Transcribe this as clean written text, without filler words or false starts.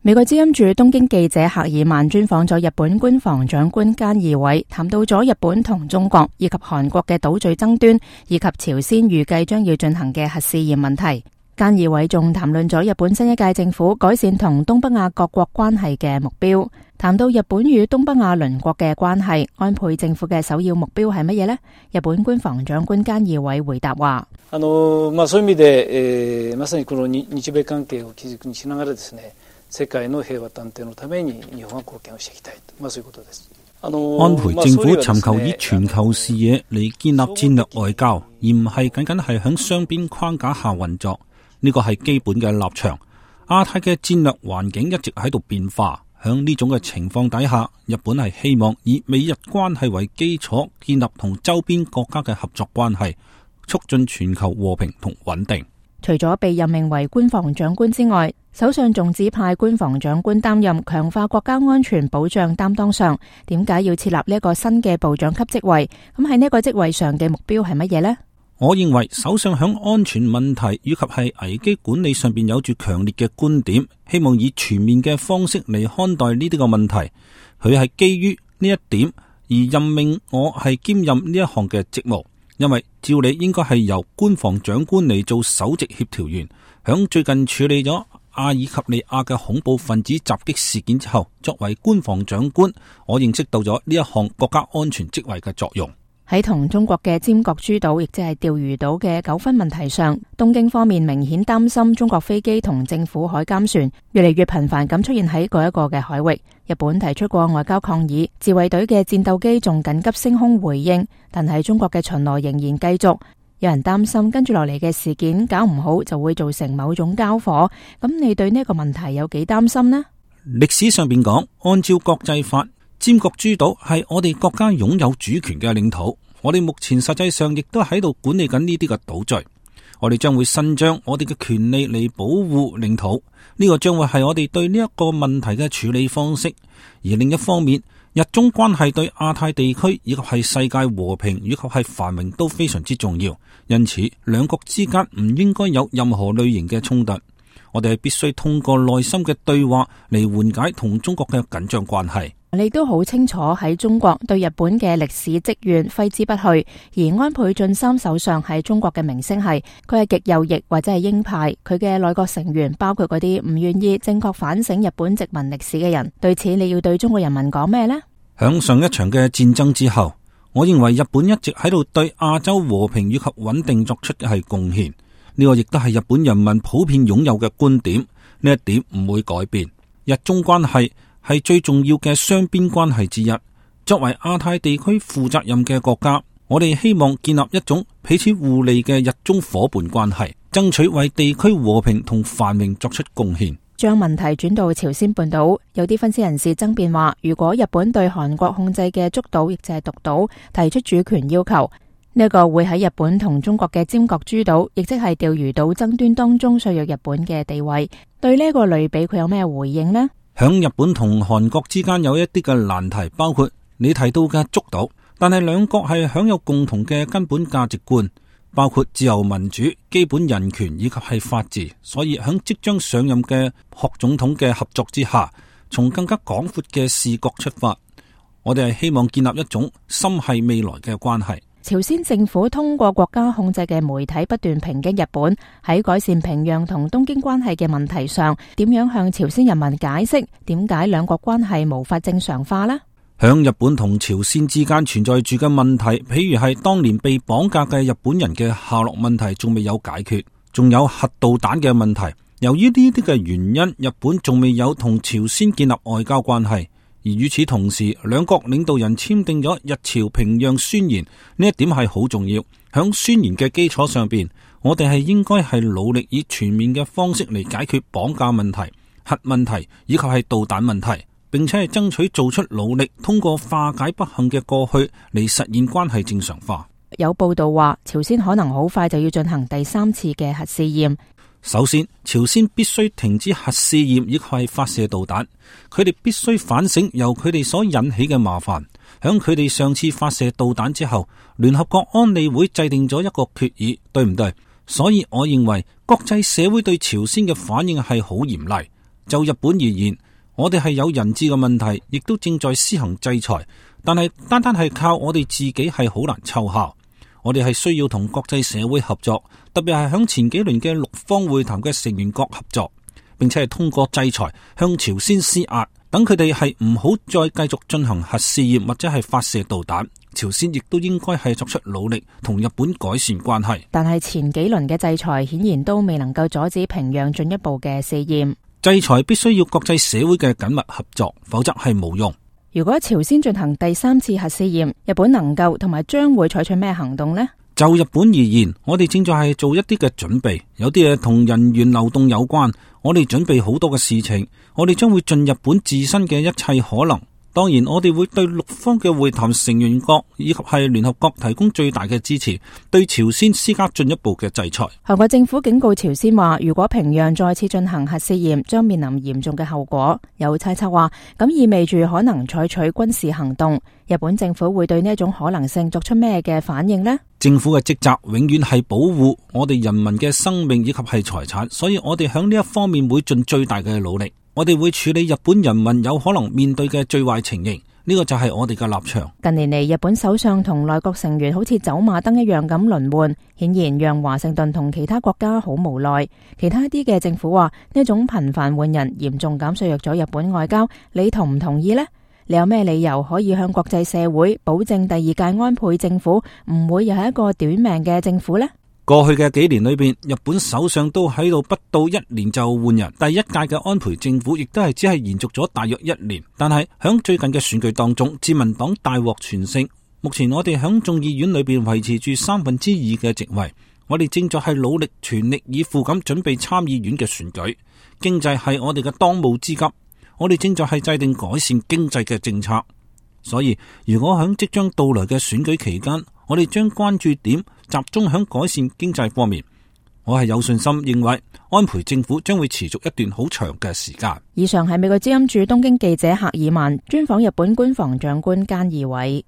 美國之音駐東京記者赫爾曼專訪咗日本官房長官菅義偉，談到咗日本同中國以及韓國嘅島嶼爭端，以及朝鮮預計將要進行嘅核試驗問題。菅義偉仲談論咗日本新一屆政府改善同東北亞各國關係嘅目標。談到日本與東北亞鄰國嘅關係，安倍政府嘅首要目標係乜嘢呢？日本官房長官菅義偉回答話：そういう意味で、まさにこの日米関係を基軸にしながらですね、世界の平和安定のために日本は貢獻をしていきたいと、そういうことです。安倍政府尋求以全球視野嚟建立戰略外交，而唔係僅僅係響雙邊框架下運作。呢個係基本嘅立場。亞太嘅戰略環境一直喺度變化，響呢種嘅情況底下，日本係希望以美日關係為基礎，建立同周邊國家嘅合作關係，促進全球和平同穩定。除咗被任命為官房長官之外，首相仲指派官房長官擔任強化國家安全保障擔當上。點解要設立呢一個新嘅部長級職位？咁喺呢個職位上嘅目標係乜嘢呢？我認為首相響安全問題以及係危機管理上邊有住強烈嘅觀點，希望以全面嘅方式嚟看待呢啲個問題。佢係基於呢一點而任命我係兼任呢一項嘅職務。因為照理應該係由官房長官嚟做首席協調員，響最近處理咗阿爾及利亞嘅恐怖分子襲擊事件之後，作為官房長官，我認識到咗呢一項國家安全職位嘅作用。喺同中國嘅尖閣諸島，亦即係釣魚島嘅糾紛問題上，東京方面明顯擔心中國飛機同政府海監船越嚟越頻繁咁出現喺嗰一個嘅海域。日本提出過外交抗議，自衛隊嘅戰鬥機仲緊急升空回應，但係中國嘅巡邏仍然繼續。有人擔心跟住落嚟嘅事件搞唔好就會造成某種交火。咁你對呢個問題有幾擔心呢？歷史上邊講，按照國際法，尖閣諸島係我哋國家擁有主權嘅領土。我哋目前實際上亦都喺度管理緊呢啲嘅島嶼。我哋將會伸張我哋嘅權利嚟保護領土。呢個將會係我哋對呢一個問題嘅處理方式。而另一方面，日中關係對亞太地區以及係世界和平以及係繁榮都非常之重要。因此，兩國之間唔應該有任何類型嘅衝突。我哋係必須通過內心嘅對話嚟緩解同中國嘅緊張關係。你都好清楚喺中國對日本嘅歷史積怨揮之不去，而安倍晉三首相喺中國嘅名聲係佢係極右翼或者係鷹派，佢嘅內閣成員包括嗰啲唔願意正確反省日本殖民歷史嘅人。對此你要對中國人民講咩呢？響上一場嘅戰爭之後，我認為日本一直喺度對亞洲和平以及穩定作出嘅係貢獻，呢個亦都係日本人民普遍擁有嘅觀點，呢一點唔會改變。日中關係係最重要嘅雙邊關係之一。作為亞太地區負責任嘅國家，我哋希望建立一種彼此互利嘅日中夥伴關係，爭取為地區和平同繁榮作出貢獻。將問題轉到朝鮮半島，有啲分析人士爭辯話，如果日本對韓國控制嘅竹島，亦就係獨島提出主權要求，呢個會喺日本同中國嘅尖閣諸島，亦即係釣魚島爭端當中削弱日本嘅地位。對呢個類比，佢有咩回應呢？響日本同韓國之間有一啲嘅難題，包括你提到嘅竹島，但係兩國係享有共同嘅根本價值觀，包括自由民主、基本人權以及係法治。所以響即將上任嘅朴總統嘅合作之下，從更加廣闊嘅視角出發，我哋係希望建立一種心繫未來嘅關係。朝鮮政府通過國家控制嘅媒體不斷抨擊日本喺改善平壤同東京關係嘅問題上，點樣向朝鮮人民解釋點解兩國關係無法正常化呢？響日本同朝鮮之間存在住嘅問題，譬如係當年被綁架嘅日本人嘅下落問題仲未有解決，仲有核導彈嘅問題。由於呢啲嘅原因，日本仲未有同朝鮮建立外交關係。而與此同時，兩國領導人簽訂咗日朝平壤宣言，呢一點係好重要。響宣言嘅基礎上邊，我哋係應該係努力以全面嘅方式嚟解決綁架問題、核問題以及係導彈問題，並且係爭取做出努力，通過化解不幸嘅過去嚟實現關係正常化。有報道話，朝鮮可能好快就要進行第3次嘅核試驗。首先，朝鮮必須停止核試驗，以及係發射導彈。佢哋必須反省由佢哋所引起嘅麻煩。響佢哋上次發射導彈之後，聯合國安理會制定咗一個決議，對唔對？所以我認為國際社會對朝鮮嘅反應係好嚴厲。就日本而言，我哋係有人質嘅問題，亦都正在施行制裁，但係單單係靠我哋自己係好難奏效。我哋係需要同國際社會合作，特別係響前幾輪嘅六方會談嘅成員國合作，並且係通過制裁向朝鮮施壓，等佢哋係唔好再繼續進行核試驗或者係發射導彈。朝鮮亦都應該係作出努力同日本改善關係。但係前幾輪嘅制裁顯然都未能夠阻止平壤進一步嘅試驗。制裁必須要國際社會嘅緊密合作，否則係無用。如果朝鮮進行第3次核試驗，日本能夠同埋將會採取咩行動呢？就日本而言，我哋正在係做一啲嘅準備，有啲嘢同人員流動有關。我哋準備好多嘅事情，我哋將會盡日本自身嘅一切可能。當然，我哋會對六方嘅會談成員國以及係聯合國提供最大嘅支持，對朝鮮施加進一步嘅制裁。韓國政府警告朝鮮話，如果平壤再次進行核試驗，將面臨嚴重嘅後果。有猜測話，咁意味住可能採取軍事行動。日本政府會對呢一種可能性作出咩嘅反應呢？政府嘅職責永遠係保護我哋人民嘅生命以及係財產，所以我哋響呢一方面會盡最大嘅努力。我哋會處理日本人民有可能面對嘅最壞情形，呢個就係我哋嘅立場。近年嚟，日本首相同內閣成員好似走馬燈一樣咁輪換，顯然讓華盛頓同其他國家好無奈。其他一啲嘅政府話，呢種頻繁換人嚴重減削弱咗日本外交，你同唔同意呢？你有咩理由可以向國際社會保證第2屆安倍政府唔會又係一個短命嘅政府呢？過去嘅幾年裏邊，日本首相都喺度不到1年就換人。第1屆嘅安倍政府亦都係只係延續咗大約1年。但係響最近嘅選舉當中，自民黨大獲全勝。目前我哋響眾議院裏邊維持住2/3嘅席位。我哋正在係努力全力以赴咁準備參議院嘅選舉。經濟係我哋嘅當務之急。我哋正在係制定改善經濟嘅政策。所以如果響即將到來嘅選舉期間，我哋將關注點集中響改善經濟方面。我係有信心認為安倍政府將會持續一段好長嘅時間。以上係美國之音駐東京記者赫爾曼專訪日本官房長官菅義偉。